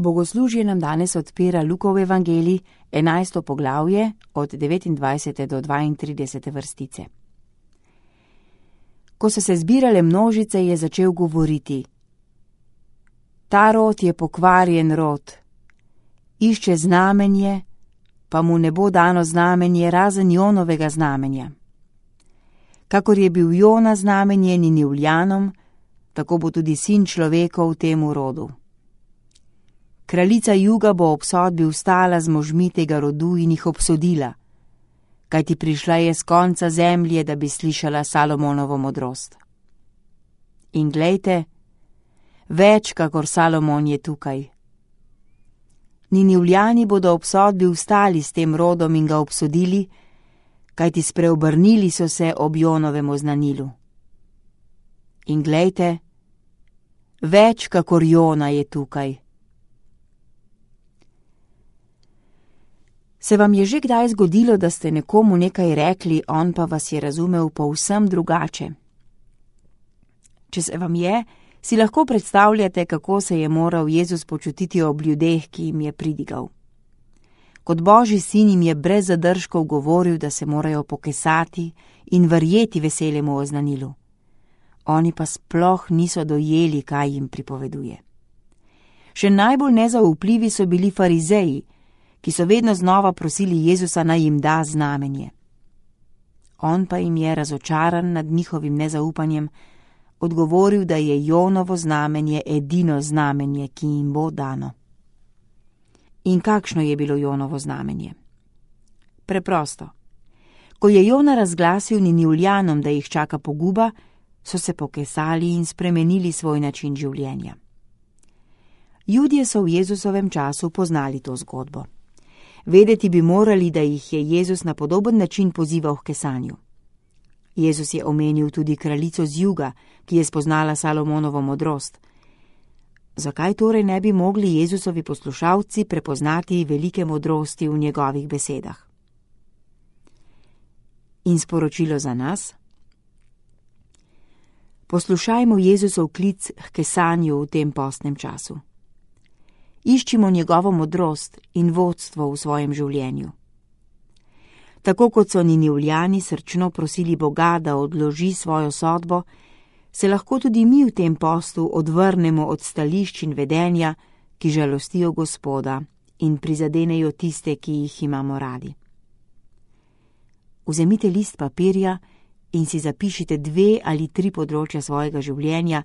Bogoslužje nam danes odpira Lukov evangelij, 11. poglavje, od 29. do 32. vrstice. Ko so se zbirale množice, je začel govoriti: Ta rod je pokvarjen rod. Išče znamenje, pa mu ne bo dano znamenje razen Jonovega znamenja. Kakor je bil Jona znamenje Ninivljanom, tako bo tudi sin človekov temu rodu. Kraljica juga bo ob sodbi vstala z možmi tega rodu in jih obsodila, kajti prišla je z konca zemlje, da bi slišala Salomonovo modrost. In glejte, več kakor Salomon je tukaj. Ninivljani bodo ob sodbi vstali s tem rodom in ga obsodili, kajti spreobrnili so se ob Jonovem oznanilu. In glejte, več kakor Jona je tukaj. Se vam je že kdaj zgodilo, da ste nekomu nekaj rekli, on pa vas je razumel povsem drugače? Če se vam je, si lahko predstavljate, kako se je moral Jezus počutiti ob ljudeh, ki jim je pridigal. Kot Božji sin jim je brez zadržkov govoril, da se morajo pokesati in verjeti veselemu oznanilu. Oni pa sploh niso dojeli, kaj jim pripoveduje. Še najbolj nezaupljivi so bili farizeji, ki so vedno znova prosili Jezusa, naj jim da znamenje. On pa jim je, razočaran nad njihovim nezaupanjem, odgovoril, da je Jonovo znamenje edino znamenje, ki jim bo dano. In kakšno je bilo Jonovo znamenje? Preprosto. Ko je Jona razglasil Ninivljanom, da jih čaka poguba, so se pokesali in spremenili svoj način življenja. Judje so v Jezusovem času poznali to zgodbo. Vedeti bi morali, da jih je Jezus na podoben način pozival k kesanju. Jezus je omenil tudi kraljico z juga, ki je spoznala Salomonovo modrost. Zakaj torej ne bi mogli Jezusovi poslušalci prepoznati velike modrosti v njegovih besedah? In sporočilo za nas? Poslušajmo Jezusov klic k kesanju v tem postnem času. Iščimo njegovo modrost in vodstvo v svojem življenju. Tako kot so Ninivljani srčno prosili Boga, da odloži svojo sodbo, se lahko tudi mi v tem postu odvrnemo od stališč in vedenja, ki žalostijo Gospoda in prizadenejo tiste, ki jih imamo radi. Vzemite list papirja in si zapišite 2 ali 3 področja svojega življenja,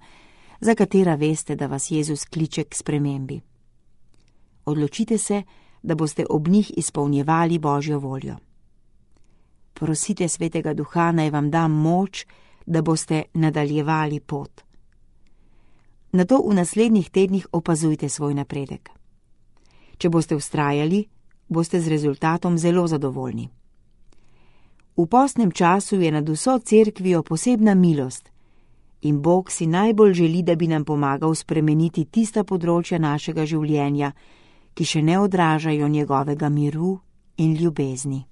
za katera veste, da vas Jezus kliče k spremembi. Odločite se, da boste ob njih izpolnjevali Božjo voljo. Prosite Svetega Duha, naj vam da moč, da boste nadaljevali pot. Nato v naslednjih tednih opazujte svoj napredek. Če boste vztrajali, boste z rezultatom zelo zadovoljni. V postnem času je nad vso cerkvijo posebna milost in Bog si najbolj želi, da bi nam pomagal spremeniti tista področja našega življenja, ki še ne odražajo njegovega miru in ljubezni.